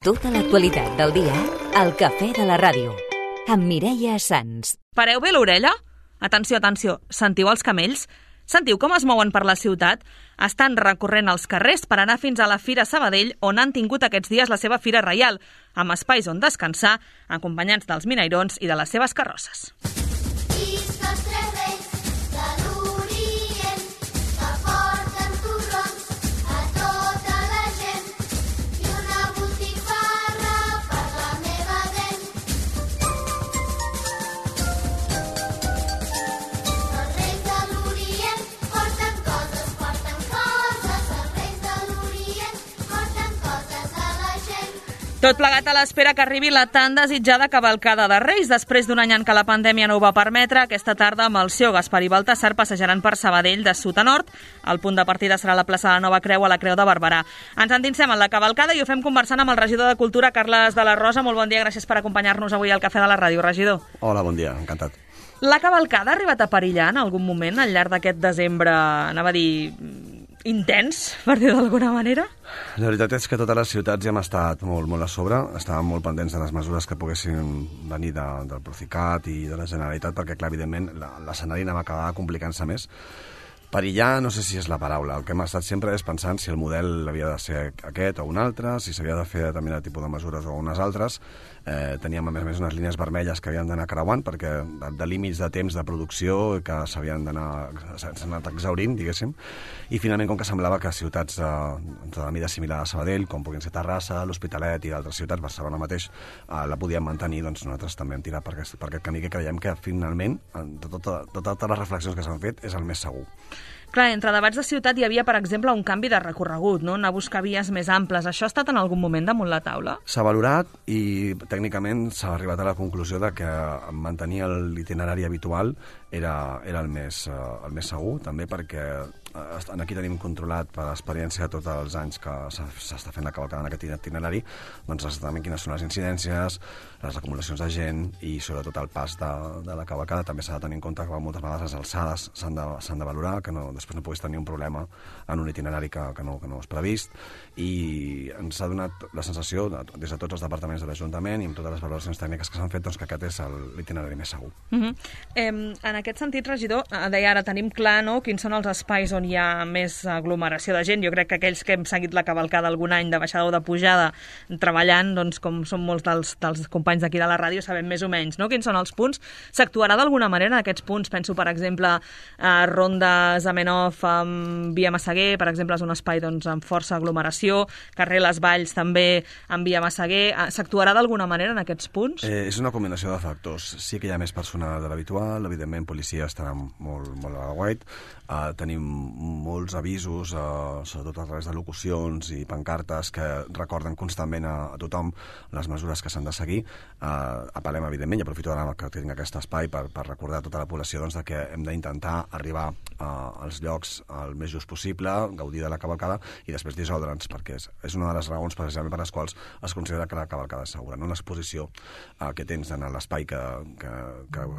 Tota l'actualitat del dia al Cafè de la Ràdio, amb Mireia Sans. Pareu bé l'orella? Atenció, atenció, sentiu els camells? Sentiu com es mouen per la ciutat? Estan recorrent els carrers per anar fins a la Fira Sabadell, on han tingut aquests dies la seva Fira Reial, amb espais on descansar, acompanyats dels minairons i de les seves carrosses. Tot plegat a l'espera que arribi la tan desitjada cavalcada de Reis. Després d'un any en què la pandèmia no ho va permetre, aquesta tarda Melcior, Gaspar i Baltasar passejaran per Sabadell de sud a nord. El punt de partida serà la plaça de la Nova Creu a la Creu de Barberà. Ens endinsem en la cavalcada i ho fem conversant amb el regidor de Cultura, Carles de la Rosa. Molt bon dia, gràcies per acompanyar-nos avui al Cafè de la Ràdio, regidor. Hola, bon dia, encantat. La cavalcada ha arribat a perillar en algun moment al llarg d'aquest desembre, anava a dir, intens, per dir d'alguna manera? La veritat és que totes les ciutats ja hem estat molt a sobre, estàvem molt pendents de les mesures que poguessin venir del Procicat i de la Generalitat, perquè, clar, evidentment, l'escenari anava a acabar complicant-se més. Perillar no sé si és la paraula. El que hem estat sempre és pensant si el model havia de ser aquest o un altre, si s'havia de fer determinat tipus de mesures o unes altres. Teníem, a més, unes línies vermelles que havien d'anar creuant, perquè de límits de temps de producció que s'han anat exhaurint, diguéssim. I finalment, com que semblava que ciutats de la mida similar a Sabadell, com puguin ser Terrassa, l'Hospitalet i d'altres ciutats, Barcelona mateix, la podíem mantenir, doncs nosaltres també hem tirat per aquest camí que creiem que finalment, de totes les reflexions que s'han fet, és el més segur. Clar, entre debats de ciutat hi havia, per exemple, un canvi de recorregut, no? Anar a buscar vies més amples. Això ha estat en algun moment damunt la taula? S'ha valorat i tècnicament s'ha arribat a la conclusió de que mantenir l'itinerari habitual era el més segur, també perquè aquí tenim controlat per l'experiència de tots els anys que s'està fent la cavalcada en aquest itinerari, doncs exactament quines són les incidències, les acumulacions de gent i sobretot el pas de la cavalcada. També s'ha de tenir en compte que moltes vegades les alçades s'han de valorar, que després no puguis tenir un problema en un itinerari que no és previst, i ens ha donat la sensació, des de tots els departaments de l'Ajuntament i amb totes les valoracions tècniques que s'han fet, doncs que aquest és l'itinerari més segur. En aquest sentit, regidor, deia ara tenim clar, no?, quins són els espais on hi ha més aglomeració de gent. Jo crec que aquells que hem seguit la cavalcada algun any de baixada o de pujada treballant, doncs com són molts dels companys d'aquí de la ràdio, sabem més o menys, no?, quins són els punts. S'actuarà d'alguna manera en aquests punts? Penso, per exemple, a Ronda Zamenhof amb Via Massaguer, per exemple, és un espai doncs, amb força aglomeració, carrer Les Valls també amb Via Massaguer. S'actuarà d'alguna manera en aquests punts? És una combinació de factors. Sí que hi ha més personal de l'habitual, evidentment policia estarà molt a l'aguait, tenim molts avisos, sobretot a través de locucions i pancartes que recorden constantment a tothom les mesures que s'han de seguir. Apel·lem, evidentment, i aprofito ara que tinc aquest espai per recordar a tota la població doncs, que hem d'intentar arribar als llocs el més just possible, gaudir de la cavalcada i després dissoldre'ns, perquè és una de les raons precisament per les quals es considera que la cavalcada és segura. No? L'exposició que tens en l'espai que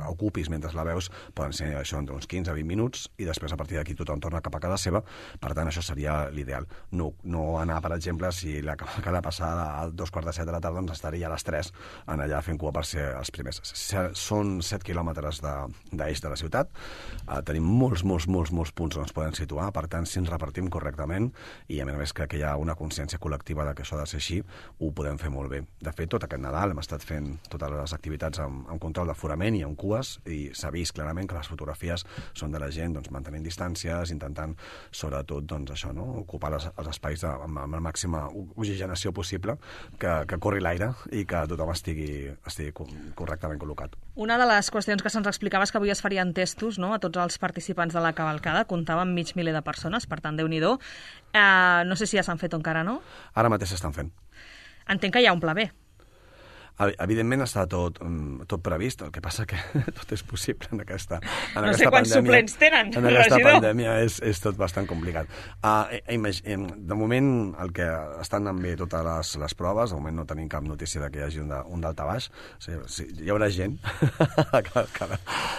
ocupis mentre la veus poden ser això entre uns 15 a 20 minuts i després a partir d'aquí tothom torna cap a casa seva. Per tant, això seria l'ideal. No anar, per exemple, si la cavalcada passada a 2:15 de la tarda, doncs estaria a les 3 en allà fent cua per ser els primers. Són 7 quilòmetres d'eix de la ciutat. Tenim molts punts on es poden situar. Per tant, si ens repartim correctament i a més crec que hi ha una consciència col·lectiva de que això ha de ser així, ho podem fer molt bé. De fet, tot aquest Nadal hem estat fent totes les activitats amb control d'aforament i amb cues i s'ha vist clarament que les fotografies són de la gent doncs, mantenint distàncies, intentant sobretot doncs, això, no? Ocupar els espais amb la màxima oxigenació possible, que corri l'aire i que tothom estigui correctament col·locat. Una de les qüestions que se'ns explicava és que avui es farien testos, no?, a tots els participants de la cavalcada. Comptava amb 500 de persones, per tant, Déu-n'hi-do. No sé si ja s'han fet o encara no. Ara mateix s'estan fent. Entenc que hi ha un pla B. Evidentment està tot previst, el que passa que tot és possible en aquesta pandèmia. No sé quants suplents tenen, en aquesta pandèmia és tot bastant complicat. De moment, el que estan anant bé totes les proves, de moment no tenim cap notícia que hi hagi un daltabaix. O sigui, hi haurà gent.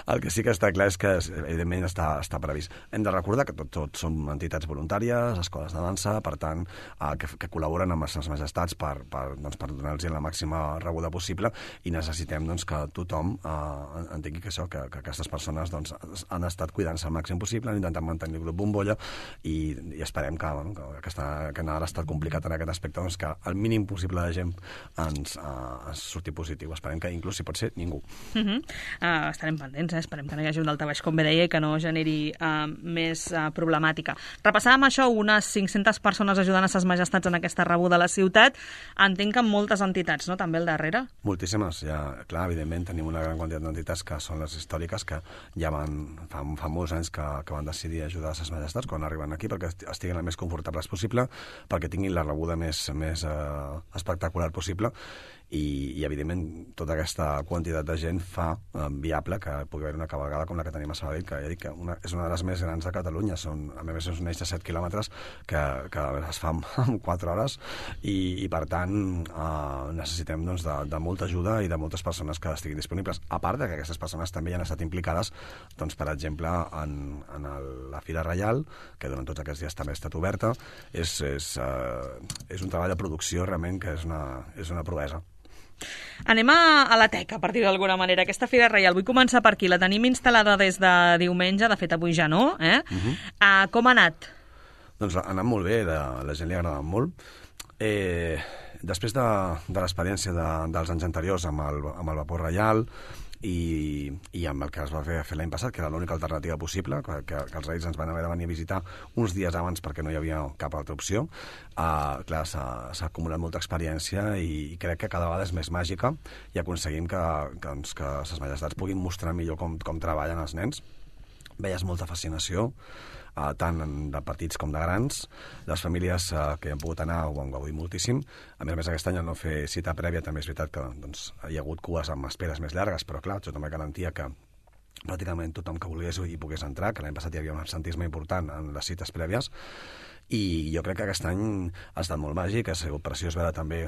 El que sí que està clar és que, evidentment, està previst. Hem de recordar que tots som entitats voluntàries, escoles de dansa, per tant, que col·laboren amb les seves majestats per donar-los la màxima rebuda possible, i necessitem que tothom entengui que aquestes persones han estat cuidant-se al màxim possible, han intentat mantenir el grup bombolla, i esperem que Nadal ha estat complicat en aquest aspecte, que el mínim possible de gent ens surti positiu. Esperem que inclús, si pot ser, ningú. Estarem pendents, esperem que no hi hagi un daltabaix, com bé deia, i que no generi més problemàtica. Repassàvem això, unes 500 persones ajudant a ses majestats en aquesta rebuda a la ciutat. Entenc que amb moltes entitats, no?, també al darrere. Moltíssimes, clar, evidentment tenim una gran quantitat d'entitats que són les històriques, que ja fa molts anys que van decidir ajudar a ses majestats quan arriben aquí, perquè estiguin el més confortables possible, perquè tinguin la rebuda més espectacular possible, i evidentment tota aquesta quantitat de gent fa viable que pugui haver una cavalcada com la que tenim a Sabadell, que ja dic que és una de les més grans de Catalunya. A més, és un eix de 7 quilòmetres que es fa en 4 hores, i per tant necessitem de molta ajuda i de moltes persones que estiguin disponibles. A part que aquestes persones també han estat implicades, per exemple, en la Fira Reial, que durant tots aquests dies també ha estat oberta. És un treball de producció realment que és una proesa. Anem a la teca, per dir d'alguna manera. Aquesta Fira Reial, vull començar per aquí. La tenim instal·lada des de diumenge, de fet avui ja no. Com ha anat? Doncs ha anat molt bé, a la gent li ha agradat molt. Després de l'experiència dels anys anteriors amb el vapor reial i amb el que es va fer l'any passat, que era l'única alternativa possible, que els reis ens van haver de venir a visitar uns dies abans perquè no hi havia cap altra opció, clar, s'ha acumulat molta experiència, i crec que cada vegada és més màgica, i aconseguim que ses majestats puguin mostrar millor com treballen els nens. Veies molta fascinació, tant de petits com de grans. Les famílies que han pogut anar ho han gaudit moltíssim. A més, aquest any, al no fer cita prèvia, també és veritat que hi ha hagut cues amb esperes més llargues, però clar, això també garantia que pràcticament tothom que volgués hi pogués entrar, que l'any passat hi havia un absentisme important en les cites prèvies, i jo crec que aquest any ha estat molt màgic, ha sigut preciós veure també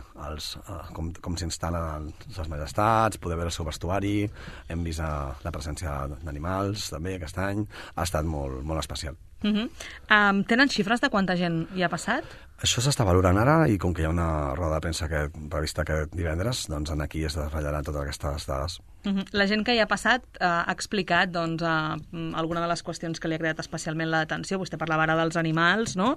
com s'instal·len les majestats, poder veure el seu vestuari, hem vist la presència d'animals també aquest any, ha estat molt, molt especial. Tenen xifres de quanta gent hi ha passat? Això s'està valorant ara, i com que hi ha una roda de premsa prevista aquest divendres, doncs aquí es desvetllaran totes aquestes dades. La gent que hi ha passat ha explicat alguna de les qüestions que li ha creat especialment l'atenció. Vostè parlava ara dels animals, no?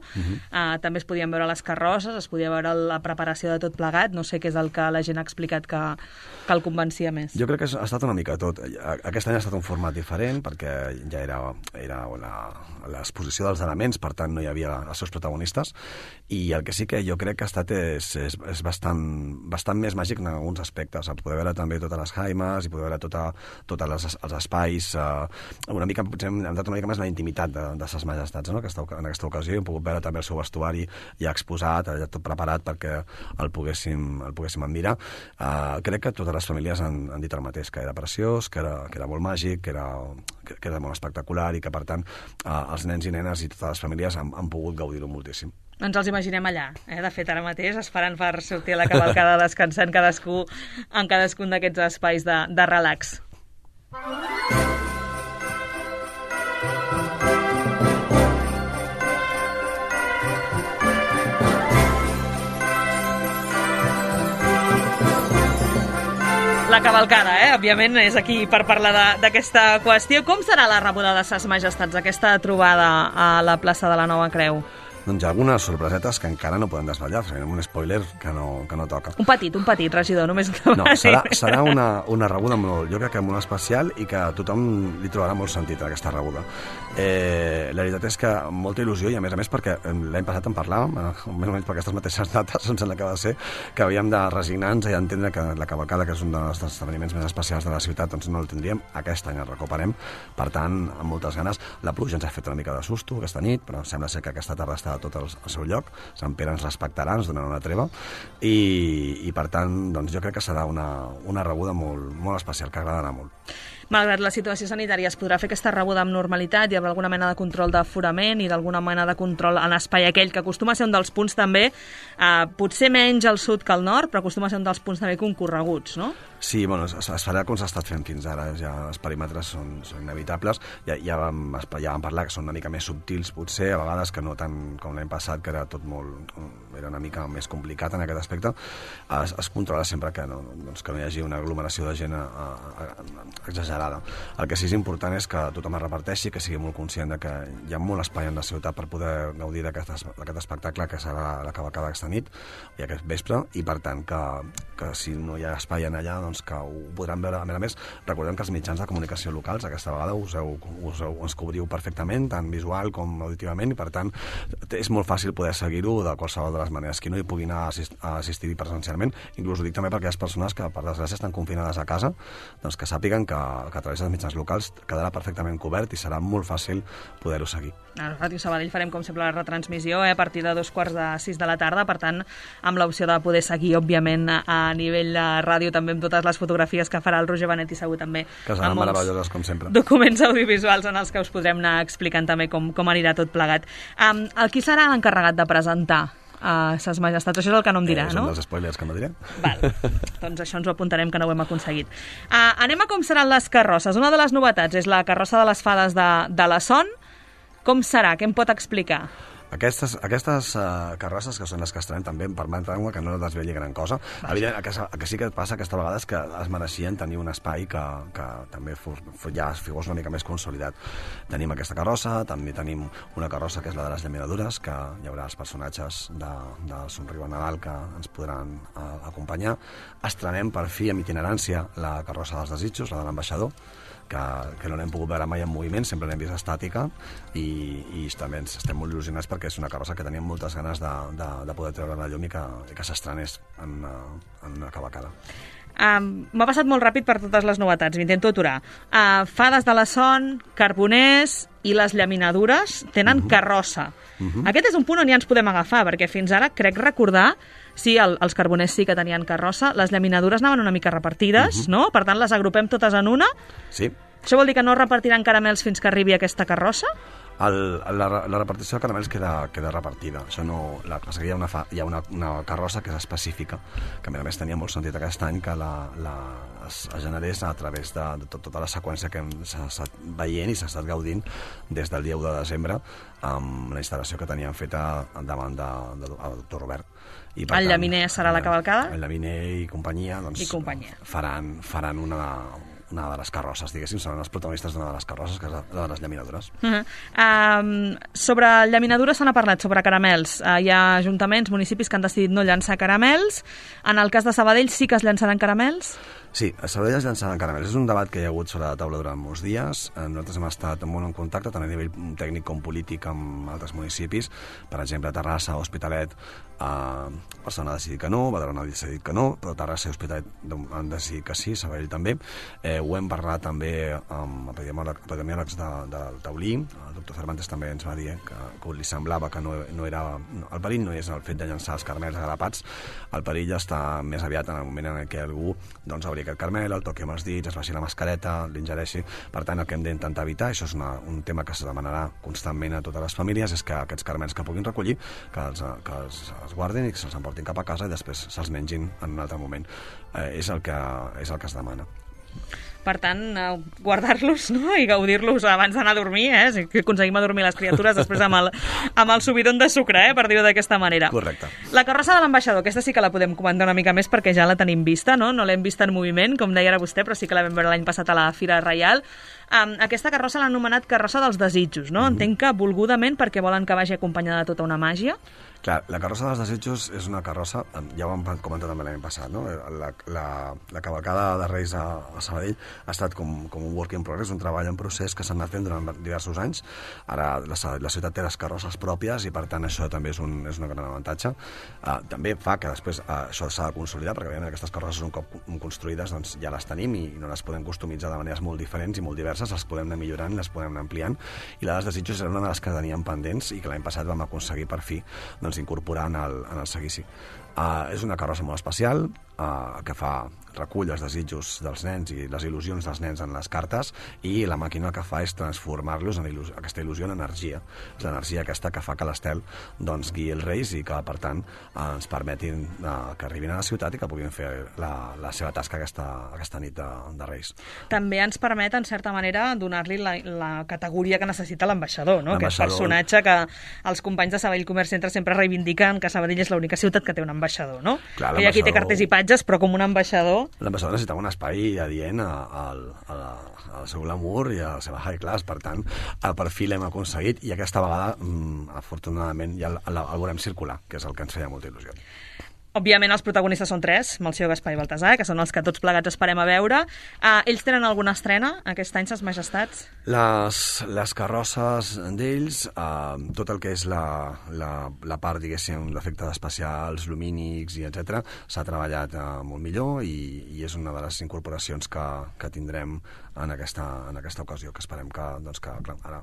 També es podien veure les carrosses, es podia veure la preparació de tot plegat. No sé què és el que la gent ha explicat que el convencia més. Jo crec que ha estat una mica tot. Aquest any ha estat un format diferent, perquè ja era l'exposició dels elements, per tant no hi havia els seus protagonistes, i el que sí que jo crec que ha estat és bastant més màgic en alguns aspectes. Poder veure també totes les jaimes i poder veure tots els espais, una mica, potser hem dat una mica més la intimitat de ses majestats, no? En aquesta ocasió hem pogut veure també el seu vestuari ja exposat, ja tot preparat perquè el poguéssim admirar. Crec que totes les famílies han dit el mateix, que era preciós, que era molt màgic, que era molt espectacular, i que per tant els nens i nenes i totes les famílies han pogut gaudir-ho moltíssim. Ens els imaginem allà, de fet ara mateix, esperant per sortir a la cavalcada, descansant cadascú en cadascun d'aquests espais de relax. La cavalcada, òbviament, és aquí per parlar d'aquesta qüestió. Com serà la rebuda de ses majestats, aquesta trobada a la plaça de la Nova Creu? Doncs hi ha algunes sorpresetes que encara no podem desvetllar, farem un spoiler que no toca. Un petit, regidor, només no, serà una rebuda jo crec que molt especial, i que tothom li trobarà molt sentit a aquesta rebuda. La veritat és que molta il·lusió, i a més perquè l'any passat en parlàvem, més o menys per aquestes mateixes dates, em sembla que va ser, que havíem de resignar-nos i entendre que la cavalcada, que és un dels esdeveniments més especials de la ciutat, doncs no el tindríem. Aquest any el recuperem, per tant, amb moltes ganes. La pluja ens ha fet una mica de susto aquesta nit, però sembla ser que aquesta tarda està tot al seu lloc. Sant Pere ens respectarà, ens donarà una treva, i per tant, doncs, jo crec que serà una rebuda molt especial, que agradarà molt. Malgrat la situació sanitària, es podrà fer aquesta rebuda amb normalitat? Hi haurà alguna mena de control d'aforament i d'alguna mena de control en l'espai aquell, que acostuma a ser un dels punts també, potser menys al sud que al nord, però acostuma a ser un dels punts també concorreguts, no? Sí, bueno, es farà com s'ha estat fent fins ara, ja els perímetres són inevitables, ja vam parlar que són una mica més subtils potser, a vegades que no tant com l'any passat, que era tot era una mica més complicat en aquest aspecte. Es controla sempre que no hi hagi una aglomeració de gent exagerada. El que sí que és important és que tothom es reparteixi, que sigui molt conscient de que hi ha molt espai en la ciutat per poder gaudir d'aquest espectacle que serà la cavalcada aquesta nit i aquest vespre, i per tant que si no hi ha espai en allà, doncs que ho podran veure. A més, recordem que els mitjans de comunicació locals aquesta vegada us cobriu perfectament, tant visual com auditivament, i per tant és molt fàcil poder seguir-ho de qualsevol de les maneres. Qui no hi pugui anar a assistir presencialment, inclús ho dic també perquè hi ha persones que per desgràcia estan confinades a casa, doncs que sàpiguen que a través dels mitjans locals quedarà perfectament cobert i serà molt fàcil poder-ho seguir. A Ràdio Sabadell farem, com sempre, la retransmissió a partir de 5:45 de la tarda, per tant, amb l'opció de poder seguir, òbviament, a nivell de ràdio, també amb totes les fotografies que farà el Roger Benet, i segur també que seran meravelloses, com sempre. Documents audiovisuals en els que us podrem anar explicant també com anirà tot plegat. Qui serà l'encarregat de presentar a Ses Majestats? Això és el que no em dirà, no? Són els spoilers que no diré. Val, doncs això ens ho apuntarem, que no ho hem aconseguit. Anem a com seran les carrosses. Una de les novetats és la carrossa de les fades de la Son. Com serà? Què em pot explicar? Aquestes carrosses, que són les que estarem també, em permetran que no desveli gran cosa. Evident, el que sí que passa aquesta vegada és que es mereixien tenir un espai que també ja fos una mica més consolidat. Tenim aquesta carrossa, també tenim una carrossa que és la de les llaminadures, que hi haurà els personatges de Somriu a Nadal que ens podran acompanyar. Estrenem per fi amb itinerància la carrossa dels desitjos, la de l'ambaixador, que no l'hem pogut veure mai en moviment, sempre l'hem vist estàtica, i també estem molt il·lusionats perquè és una carrossa que teníem moltes ganes de poder treure la llum i que s'estrenés en una cavalcada. M'ha passat molt ràpid per totes les novetats, m'intento aturar. Fades de la Son, carboners i les llaminadures tenen carrossa. Aquest és un punt on ja ens podem agafar, perquè fins ara crec recordar, sí, els carboners sí que tenien carrossa, les llaminadures anaven una mica repartides, no? Per tant, les agrupem totes en una? Sí. Això vol dir que no repartiran caramels fins que arribi aquesta carrossa? La repartició de caramels queda repartida. Això no, hi ha una carrossa que és específica, que a més tenia molt sentit aquest any que es generés a través de tota la seqüència que s'ha estat veient i s'ha estat gaudint des del dia 1 de desembre amb la instal·lació que teníem feta davant del doctor Robert. I, per el Llaminer serà la cavalcada? El Llaminer i companyia, doncs, faran una de les carrosses, diguéssim, seran els protagonistes d'una de les carrosses, que és la de les llaminadures. Sobre llaminadures se n'ha parlat, sobre caramels. Hi ha ajuntaments, municipis que han decidit no llançar caramels. En el cas de Sabadell sí que es llançaran caramels? Sí, a Sabadell es llançaran caramels. És un debat que hi ha hagut sobre la taula durant molts dies. Nosaltres hem estat molt en contacte, tant a nivell tècnic com polític, amb altres municipis. Per exemple, Terrassa, Hospitalet, Barcelona ha decidit que no, Badalona ha decidit que no, però Terrassa i Hospitalet han decidit que sí, Sabadell també. Ho hem parlat també amb epidemiòlegs del Taulí. El doctor Cervantes també ens va dir que li semblava que no era... El perill no és el fet de llançar els caramels agradapats, el perill està més aviat en el moment en què algú obri aquest caramel, el toqui amb els dits, es faci la mascareta, l'ingereixi. Per tant, el que hem d'intentar evitar, això és un tema que se demanarà constantment a totes les famílies, és que aquests caramels que puguin recollir, que els guardin i que se'ls emportin cap a casa i després se'ls mengin en un altre moment. És el que es demana. Per tant, guardar-los, no? I gaudir-los abans d'anar a dormir, si aconseguim adormir les criatures després amb el subidon de sucre, per dir-ho d'aquesta manera. Correcte. La carrossa de l'ambaixador, aquesta sí que la podem comentar una mica més perquè ja la tenim vista, no? No l'hem vista en moviment, com deia ara vostè, però sí que la vam veure l'any passat a la Fira Reial. Aquesta carrossa l'han anomenat carrossa dels desitjos, no? Entenc que volgudament perquè volen que vagi acompanyada de tota una màgia. Clar, la carrossa dels desitjos és una carrossa, ja ho hem comentat també l'any passat, no? La cavalcada de Reis a Sabadell ha estat com un work in progress, un treball en procés que s'ha anat fent durant diversos anys. Ara la ciutat té les carrosses pròpies i per tant això també és un gran avantatge. També fa que després això s'ha de consolidar, perquè evidentment aquestes carrosses un cop construïdes doncs ja les tenim i no les podem customitzar de maneres molt diferents i molt diverses, les podem anar millorant, les podem anar ampliant, i la dels desitjos era una de les que teníem pendents i que l'any passat vam aconseguir per fi incorporar en el seguici. És una carrossa molt especial que recull els desitjos dels nens i les il·lusions dels nens en les cartes, i la màquina el que fa és transformar-los en aquesta il·lusió en energia. És l'energia aquesta que fa que l'Estel guiï els Reis i que, per tant, ens permetin que arribin a la ciutat i que puguin fer la seva tasca aquesta nit de Reis. També ens permet, en certa manera, donar-li la categoria que necessita l'ambaixador, no? Aquest personatge que els companys de Sabadell Comerç Centre sempre reivindiquen, que Sabadell és l'única ciutat que té un ambaixador, no? Clar, que aquí té cartells i patges, però com un ambaixador... L'ambaixador necessitava un espai adient al seu glamour i a la seva high class, per tant, per fi l'hem aconseguit, i aquesta vegada, afortunadament, ja el veurem circular, que és el que ens feia molta il·lusió. Òbviament, els protagonistes són 3, Melcior, Gaspar i Baltasar, que són els que tots plegats esperem a veure. Ells tenen alguna estrena aquest any, Ses Majestats? Les carrosses d'ells, tot el que és la part, diguéssim, l'efecte especials, lumínics i etc., s'ha treballat molt millor i és una de les incorporacions que tindrem en aquesta ocasió, que esperem que clar, ara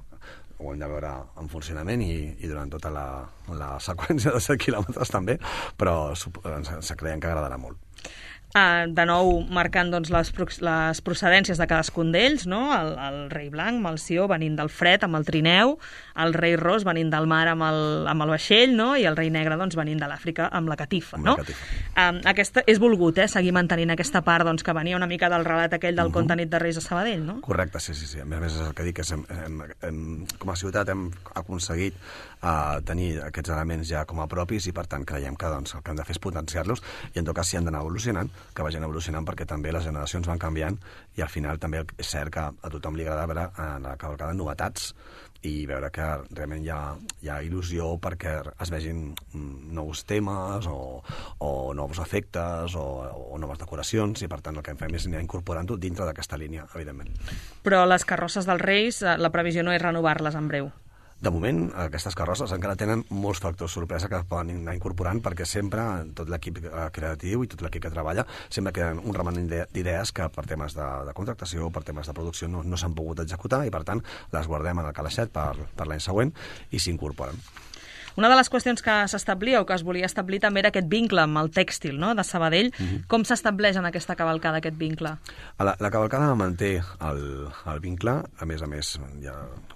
ho hem de veure en funcionament i durant tota la seqüència de 7 quilòmetres també, però ens creiem que agradarà molt. De nou, marcant les procedències de cadascun d'ells, no? El rei blanc, Melcior, venint del fred amb el trineu, el rei ros venint del mar amb el vaixell, no? I el rei negre venint de l'Àfrica amb la catifa, no? Aquesta és volgut, seguir mantenint aquesta part que venia una mica del relat aquell del conte Nit de Reis a Sabadell, no? Correcte, sí. A més és el que dic, com a ciutat hem aconseguit tenir aquests elements ja com a propis, i per tant creiem que el que hem de fer és potenciar-los, i en tot cas si han d'anar evolucionant, que vagin evolucionant, perquè també les generacions van canviant i al final també és cert que a tothom li agrada veure en la cavalcada novetats i veure que realment hi ha il·lusió perquè es vegin nous temes o nous efectes o noves decoracions, i per tant el que fem és anar incorporant-ho dintre d'aquesta línia, evidentment. Però les carrosses dels Reis, la previsió no és renovar-les en breu? De moment, aquestes carrosses encara tenen molts factors sorpresa que poden anar incorporant, perquè sempre tot l'equip creatiu i tot l'equip que treballa sempre queden un remanent d'idees que per temes de contractació, per temes de producció no s'han pogut executar, i per tant les guardem en el calaixet per l'any següent i s'incorporen. Una de les qüestions que s'establia o que es volia establir també era aquest vincle amb el tèxtil, no?, de Sabadell. Com s'estableix en aquesta cavalcada aquest vincle? La cavalcada manté el vincle, a més,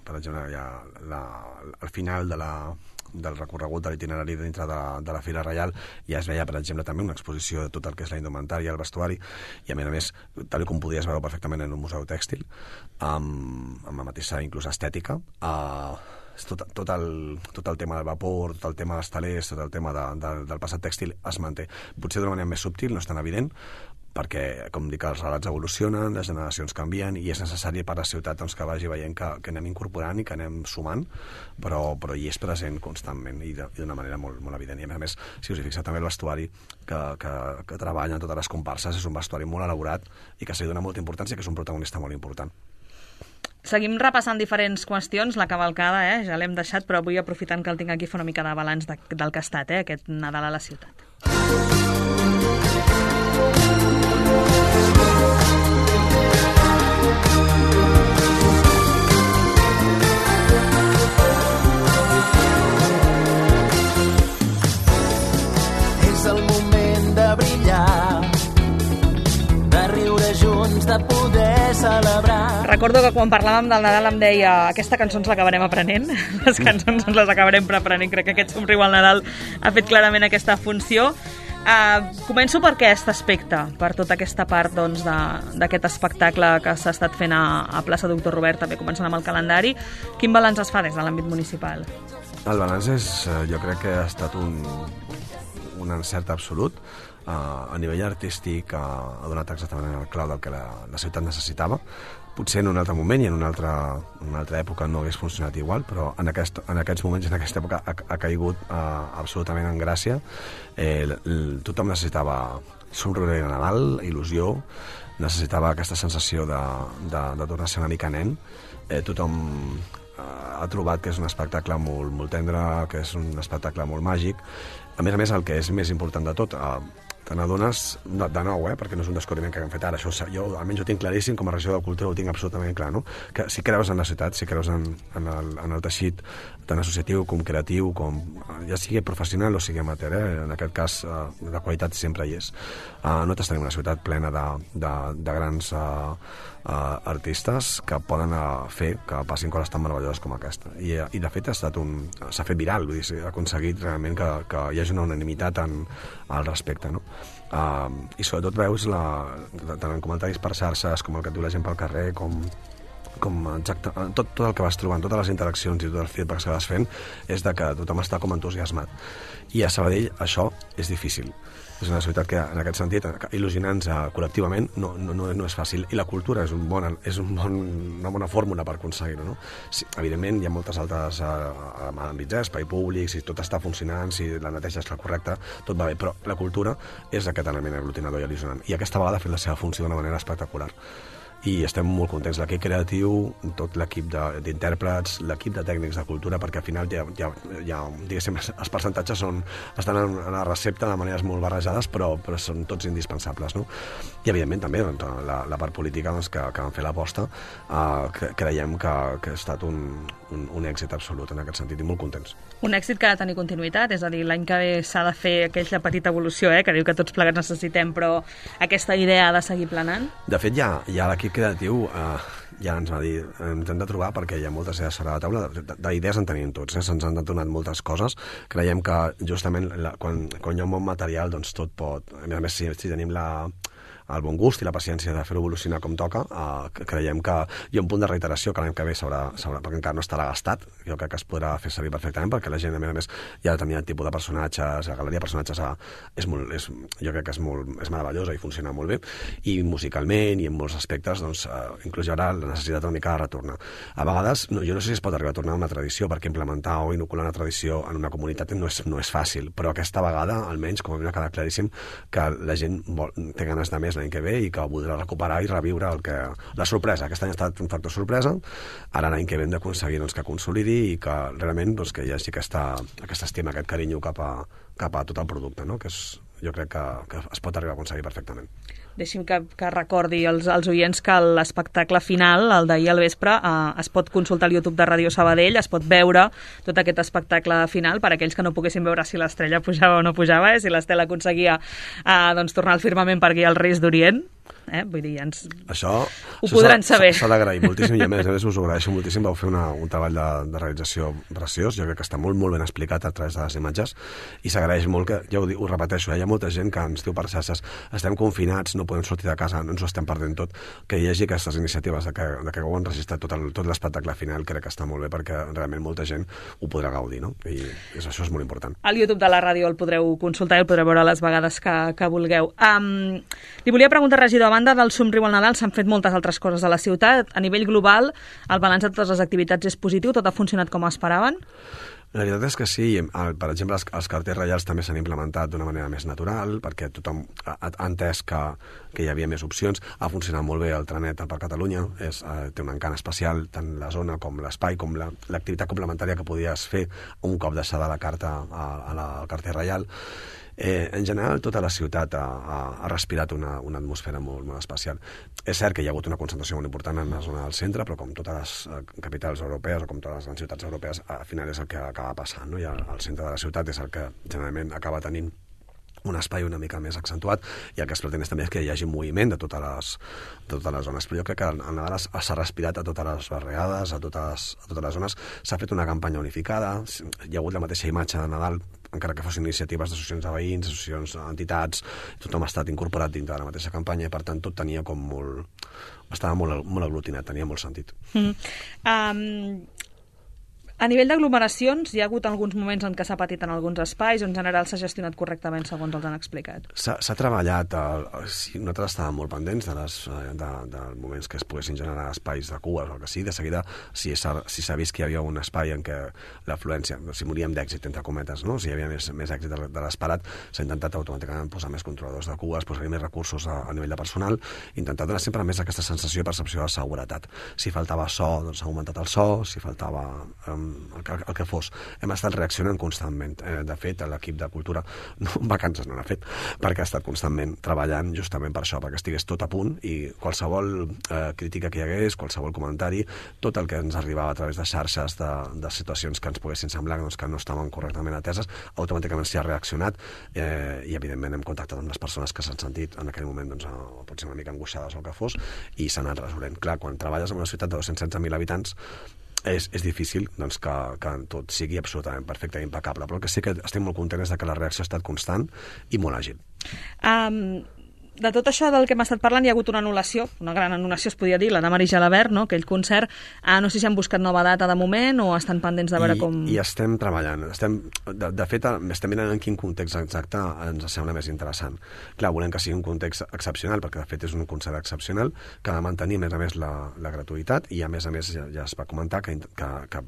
per exemple, al final del recorregut de l'itinerari dintre de la Fira Reial ja es veia, per exemple, també una exposició de tot el que és la indumentària, el vestuari, i a més, tal com podies veure perfectament en un museu tèxtil, amb la mateixa inclús estètica, tot el tema del vapor, tot el tema dels talers, tot el tema del passat tèxtil es manté. Potser d'una manera més subtil, no és tan evident, perquè, com dic, els relats evolucionen, les generacions canvien, i és necessari per a la ciutat que vagi veient que anem incorporant i que anem sumant, però hi és present constantment i d'una manera molt, molt evident. I a més, si us hi fixeu, també el vestuari que treballen totes les comparses és un vestuari molt elaborat i que s'hi dona molta importància, que és un protagonista molt important. Seguim repassant diferents qüestions. La cavalcada, ja l'hem deixat, però avui, aprofitant que el tinc aquí, fa una mica de balanç del que ha estat, aquest Nadal a la ciutat. És el moment de brillar, de riure junts, de poder celebrar. Recordo que quan parlàvem del Nadal em deia aquesta cançó ens l'acabarem aprenent, les cançons ens les acabarem aprenent. Crec que aquest somriu al Nadal ha fet clarament aquesta funció. Començo per aquest aspecte, per tota aquesta part d'aquest espectacle que s'ha estat fent a plaça Doctor Robert, també començant amb el calendari. Quin balanç es fa des de l'àmbit municipal? El balanç jo crec que ha estat un encert absolut. a nivell artístic ha donat exactament el clau del que la ciutat necessitava. Potser en un altre moment i en una altra època no hagués funcionat igual, però en aquests moments, en aquesta època, ha caigut absolutament en gràcia. Tothom necessitava somriure de Nadal, il·lusió, necessitava aquesta sensació de tornar a ser una mica nen. Tothom ha trobat que és un espectacle molt tendre, que és un espectacle molt màgic. A més, el que és més important de tot, te n'adones de nou, perquè no és un descobriment que hem fet ara, això jo almenys ho tinc claríssim, com a regidor de Cultura ho tinc absolutament clar, no? Que si creus en la ciutat, si creus en el teixit tant associatiu com creatiu, ja sigui professional o sigui amateur, en aquest cas la qualitat sempre hi és. Nosaltres tenim una ciutat plena de grans artistes que poden fer que passin coses tan meravelloses com aquesta. I de fet s'ha fet viral, vull dir, s'ha aconseguit realment que hi hagi una unanimitat al respecte, no? I sobretot veus tant en comentaris per xarxes com el que et diu la gent pel carrer, tot el que vas trobant, totes les interaccions i tot el feedback que vas fent és de que tothom està com entusiasmat. I a Sabadell això és difícil. És una ciutat que, en aquest sentit, il·lusionant-nos col·lectivament no és fàcil. I la cultura és una bona fórmula per aconseguir-ho, no? Sí, evidentment, hi ha moltes altres àmbits, espai públic, si tot està funcionant, si la neteja és la correcta, tot va bé, però la cultura és aquest element aglutinador i il·lusionant. I aquesta vegada ha fet la seva funció d'una manera espectacular. I estem molt contents, l'equip creatiu, tot l'equip d'intèrprets, l'equip de tècnics de cultura, perquè al final diguéssim, els percentatges estan en la recepta de maneres molt barrejades, però són tots indispensables, no? I evidentment també la part política que van fer l'aposta, creiem que ha estat un èxit absolut en aquest sentit i molt contents. Un èxit que ha de tenir continuïtat, és a dir, l'any que ve s'ha de fer aquella petita evolució, que diu que tots plegats necessitem, però aquesta idea ha de seguir planant? De fet, ja l'equip creatiu ja ens va dir, ens hem de trobar perquè hi ha moltes idees sobre la taula, d'idees en tenim tots, se'ns han donat moltes coses. Creiem que justament quan hi ha un bon material, doncs tot pot... A més, si tenim el bon gust i la paciència de fer-ho evolucionar com toca, creiem que hi ha un punt de reiteració que l'any que ve perquè encara no estarà gastat, jo crec que es podrà fer servir perfectament perquè la gent, a més, hi ha determinat tipus de personatges, la galeria de personatges jo crec que és meravellosa i funciona molt bé, i musicalment i en molts aspectes, doncs, inclús hi haurà la necessitat una mica de retornar. A vegades, jo no sé si es pot arribar a tornar a una tradició, perquè implementar o inocular una tradició en una comunitat no és fàcil, però aquesta vegada, almenys, com a mi m'ha quedat claríssim, que la gent té ganes de més l'any que ve i que voldrà recuperar i reviure la sorpresa. Aquest any ha estat un factor sorpresa, ara l'any que ve hem d'aconseguir que consolidi i que realment que hi hagi aquesta estima, aquest carinyo cap a tot el producte, no? Que jo crec que es pot arribar a aconseguir perfectament. Deixi'm que recordi als oients que l'espectacle final, el d'ahir al vespre, es pot consultar al YouTube de Ràdio Sabadell, es pot veure tot aquest espectacle final per aquells que no poguessin veure si l'estrella pujava o no pujava, si l'Estela aconseguia tornar al firmament per guiar els Reis d'Orient. Vull dir, això ho podran saber. S'ha d'agrair moltíssim i a més us ho agraeixo moltíssim. Vau fer un treball de realització preciós, jo crec que està molt ben explicat a través de les imatges i s'agraeix molt que, ja ho repeteixo, hi ha molta gent que ens diu per xarxes estem confinats, no podem sortir de casa, no ens ho estem perdent tot, que hi hagi aquestes iniciatives de que ho han registrat tot l'espectacle final, crec que està molt bé perquè realment molta gent ho podrà gaudir, no? I això és molt important. Al YouTube de la ràdio el podreu consultar i el podreu veure les vegades que vulgueu. Li volia preguntar, regidor, a banda del Somriu al Nadal s'han fet moltes altres coses a la ciutat. A nivell global, el balanç de totes les activitats és positiu? Tot ha funcionat com esperaven? La veritat és que sí. Per exemple, els cartells reials també s'han implementat d'una manera més natural, perquè tothom ha entès que hi havia més opcions. Ha funcionat molt bé el trenet per Catalunya, té un encant especial, tant la zona com l'espai, com l'activitat complementària que podies fer un cop deixada la carta al cartell reial. En general, tota la ciutat ha respirat una atmosfera molt, molt especial. És cert que hi ha hagut una concentració molt important en la zona del centre, però com totes les capitals europees o com totes les grans ciutats europees, al final és el que acaba passant, no? I el centre de la ciutat és el que generalment acaba tenint un espai una mica més accentuat i el que es pretén també és que hi hagi moviment de totes les zones. Però jo crec que el Nadal s'ha respirat a totes les barriades, a totes les zones. S'ha fet una campanya unificada, hi ha hagut la mateixa imatge de Nadal, encara que fossin iniciatives d'associacions de veïns, associacions d'entitats, tothom ha estat incorporat dintre de la mateixa campanya i per tant tot tenia com estava molt aglutinat, tenia molt sentit. A nivell d'aglomeracions, hi ha hagut alguns moments en què s'ha patit en alguns espais o en general s'ha gestionat correctament, segons els han explicat? S'ha treballat, nosaltres estàvem molt pendents dels moments que es poguessin generar espais de cues o el que sigui. De seguida, si s'ha vist que hi havia un espai en què l'afluència, si moríem d'èxit, entre cometes, no? Si hi havia més èxit de l'esperat, s'ha intentat automàticament posar més controladors de cues, posar-hi més recursos a nivell de personal, intentar donar sempre més aquesta sensació i percepció de seguretat. Si faltava so, doncs s'ha augmentat el so, si faltava el que fos. Hem estat reaccionant constantment. De fet, l'equip de cultura vacances no n'ha fet, perquè ha estat constantment treballant justament per això, perquè estigués tot a punt i qualsevol crítica que hi hagués, qualsevol comentari, tot el que ens arribava a través de xarxes de situacions que ens poguessin semblar que no estaven correctament ateses, automàticament s'hi ha reaccionat i evidentment hem contactat amb les persones que s'han sentit en aquell moment potser una mica angoixades o el que fos i s'han anat resolent. Clar, quan treballes en una ciutat de 216.000 habitants és difícil que tot sigui absolutament perfecte i impecable, però el que sí que estic molt content és que la reacció ha estat constant i molt àgil. De tot això del que hem estat parlant hi ha hagut una anul·lació, una gran anul·lació es podia dir, la de Mari Gelabert, no? Aquell concert. No sé si han buscat nova data de moment o estan pendents de veure com... I estem treballant. De fet, estem mirant en quin context exacte ens sembla més interessant. Clar, volem que sigui un context excepcional, perquè de fet és un concert excepcional, que ha de mantenir a més la gratuïtat i a més ja es va comentar que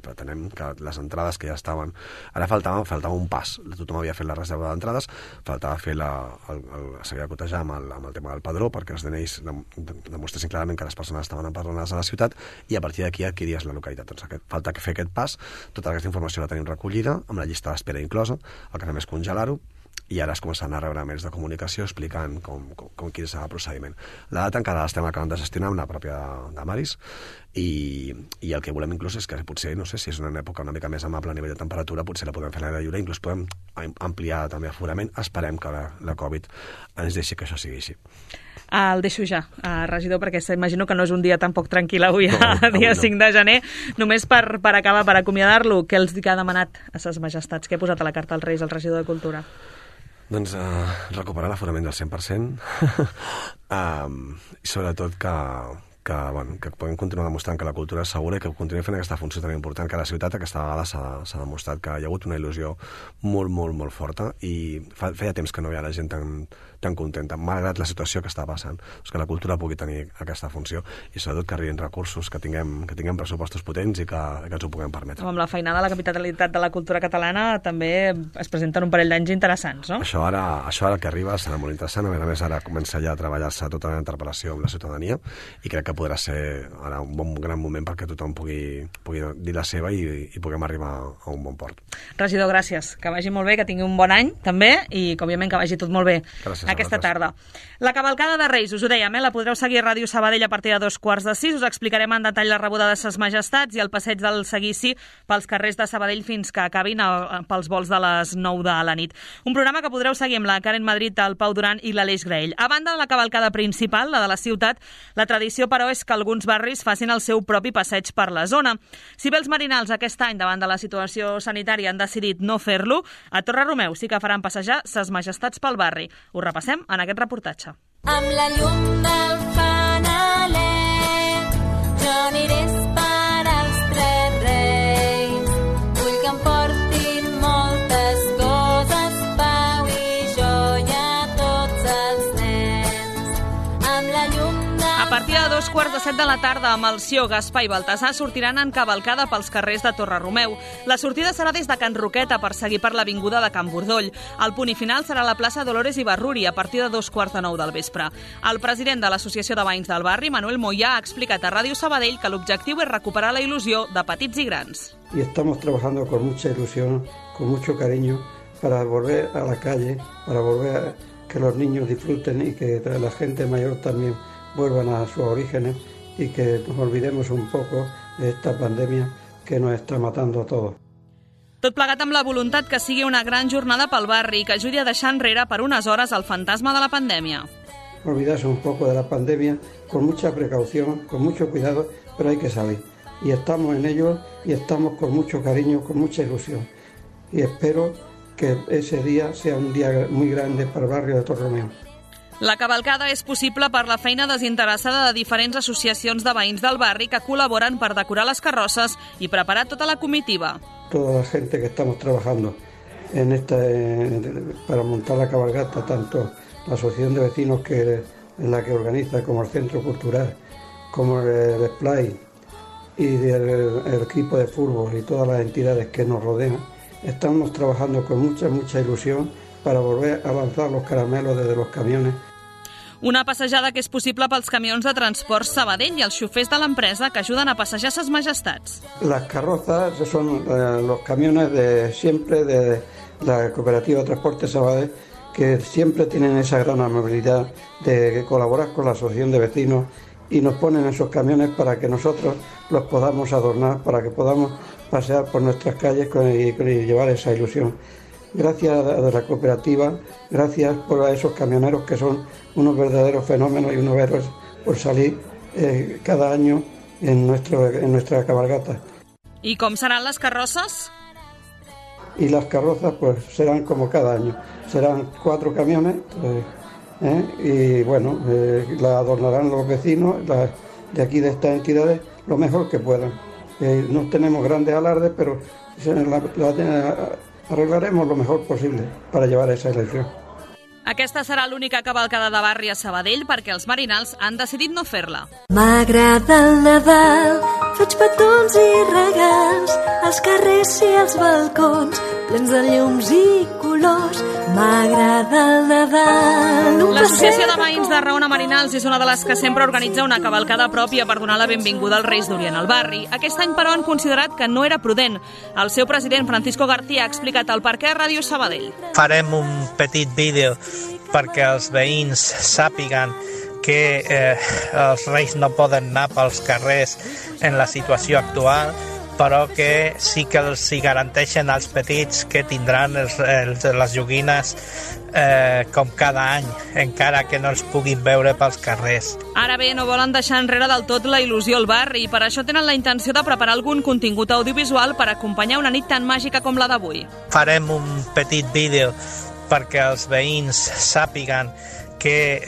pretenem que les entrades que ja estaven... Ara faltava un pas. Tothom havia fet la reserva d'entrades, faltava fer seguir a cotejar amb el tema del padró, perquè els DNIs demostressin clarament que les persones estaven empadronades a la ciutat i a partir d'aquí adquiries la localitat. Doncs falta fer aquest pas, tota aquesta informació la tenim recollida, amb la llista d'espera inclosa, el que fem és congelar-ho, i ara es començaran a rebre mails de comunicació explicant quin és el procediment. La data encara l'estem acabant de gestionar amb la pròpia de Maris i el que volem inclús és que potser, no sé, si és una època una mica més amable a nivell de temperatura, potser la podem fer a l'aire lliure, inclús podem ampliar també aforament. Esperem que la Covid ens deixi que això sigui així. El deixo ja, regidor, perquè imagino que no és un dia tampoc tranquil avui, dia 5 de gener. Només per acabar, per acomiadar-lo, què els ha demanat a ses majestats? Què ha posat a la carta als Reis, el regidor de Cultura? Doncs recuperar l'aforament del 100% i sobretot que puguem continuar demostrant que la cultura és segura i que continuï fent aquesta funció tan important que a la ciutat aquesta vegada s'ha demostrat que hi ha hagut una il·lusió molt, molt, molt forta i feia temps que no hi ha la gent tan contenta, malgrat la situació que està passant, que la cultura pugui tenir aquesta funció i sobretot que arribin recursos, que tinguem pressupostos potents i que ens ho puguem permetre. Amb la feinada de la capitalitat de la cultura catalana també es presenten un parell d'anys interessants, no? Això ara que arriba serà molt interessant, a més ara comença ja a treballar-se tota la interpel·lació amb la ciutadania i crec que podrà ser ara un gran moment perquè tothom pugui dir la seva i puguem arribar a un bon port. Regidor, gràcies, que vagi molt bé, que tingui un bon any també i que òbviament que vagi tot molt bé. Gràcies aquesta tarda. La cavalcada de Reis, us ho dèiem, la podreu seguir a Ràdio Sabadell a partir de 2:15, us explicarem en detall la rebuda de ses majestats i el passeig del seguici pels carrers de Sabadell fins que acabin pels vols de les 9 de la nit. Un programa que podreu seguir amb la Karen Madrid, el Pau Duran i l'Aleix Graell. A banda de la cavalcada principal, la de la ciutat, la tradició, però, és que alguns barris facin el seu propi passeig per la zona. Si bé els marinals aquest any, davant de la situació sanitària, han decidit no fer-lo, a Torre-Romeu sí que faran passejar ses majestats pel barri. Ho repassem en aquest reportatge. Amb la llum del fanaler jo aniré a esperar els tres reis. Vull que em portin moltes coses, pau i joia a tots els nens. Amb la llum A partir de 2:15 de la tarda, amb el Sió, Gaspar i Baltasar sortiran en cavalcada pels carrers de Torre-Romeu. La sortida serà des de Can Roqueta per seguir per l'avinguda de Can Bordoll. El punt i final serà a la plaça Dolores Ibarruri a partir de 2:45 del vespre. El president de l'Associació de Veïns del Barri, Manuel Moyà, ha explicat a Ràdio Sabadell que l'objectiu és recuperar la il·lusió de petits i grans. Y estamos trabajando con mucha ilusión, con mucho cariño, para volver a la calle, para volver a que los niños disfruten y que la gente mayor también vuelvan a sus orígenes y que nos olvidemos un poco de esta pandemia que nos está matando a todos. Tot plegat amb la voluntat que sigui una gran jornada pel barri i que ajudi a deixar enrere per unes hores el fantasma de la pandèmia. Olvidarse un poco de la pandemia con mucha precaución, con mucho cuidado, pero hay que salir. Y estamos en ello y estamos con mucho cariño, con mucha ilusión. Y espero que ese día sea un día muy grande para el barrio de Torre-Romeu. La cavalcada és possible per la feina desinteressada de diferents associacions de veïns del barri que col·laboren per decorar les carrosses i preparar tota la comitiva. Toda la gente que estamos trabajando para montar la cabalgata, tanto la asociación de vecinos que es la que organiza, como el centro cultural, como el SPLAI y el equipo de fútbol y todas las entidades que nos rodean, estamos trabajando con mucha ilusión para volver a lanzar los caramelos desde los camiones. Una passejada que és possible pels camions de transport Sabadell i els xofers de l'empresa que ajuden a passejar ses majestats. Las carrozas son los camiones de siempre de la Cooperativa de Transporte Sabadell, que siempre tienen esa gran amabilidad de colaborar con la asociación de vecinos y nos ponen esos camiones para que nosotros los podamos adornar, para que podamos pasear por nuestras calles y llevar esa ilusión. Gracias a la cooperativa, gracias por esos camioneros que son unos verdaderos fenómenos y unos héroes por salir cada año en nuestra cabalgata. I com seran les carrosses? Y las carrozas pues serán como cada año, serán 4 camiones y bueno, la adornarán los vecinos de aquí de estas entidades lo mejor que puedan. No tenemos grandes alardes, pero arreglaremos lo mejor posible para llevar esa elección. Aquesta serà l'única cavalcada de barri a Sabadell perquè els marinals han decidit no fer-la. M'agrada el Nadal, faig petons i regals, als carrers i als balcons, plens de llums i colors. M'agrada el Nadal. L'Associació de Veïns de Raona Marinals és una de les que sempre organitza una cavalcada pròpia per donar la benvinguda als Reis d'Orient al barri. Aquest any, però, han considerat que no era prudent. El seu president, Francisco García, ha explicat el perquè a Ràdio Sabadell. Farem un petit vídeo perquè els veïns sàpiguen que els Reis no poden anar pels carrers en la situació actual, però que sí que els hi garanteixen als petits que tindran les joguines com cada any, encara que no els puguin veure pels carrers. Ara bé, no volen deixar enrere del tot la il·lusió al barri i per això tenen la intenció de preparar algun contingut audiovisual per acompanyar una nit tan màgica com la d'avui. Farem un petit vídeo perquè els veïns sàpiguen que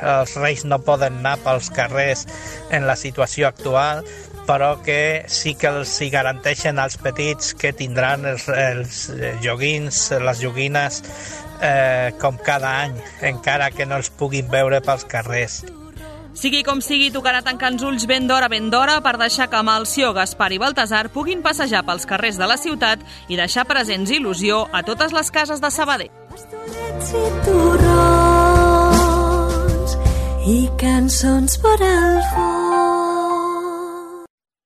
els Reis no poden anar pels carrers en la situació actual, però que sí que els hi garanteixen als petits que tindran els joguins, les joguines com cada any, encara que no els puguin veure pels carrers. Sigui com sigui, tocarà tancar els ulls ben d'hora per deixar que Melcior, Gaspar i Baltasar puguin passejar pels carrers de la ciutat i deixar presents il·lusió a totes les cases de Sabadell. I torrons i cançons per al fons.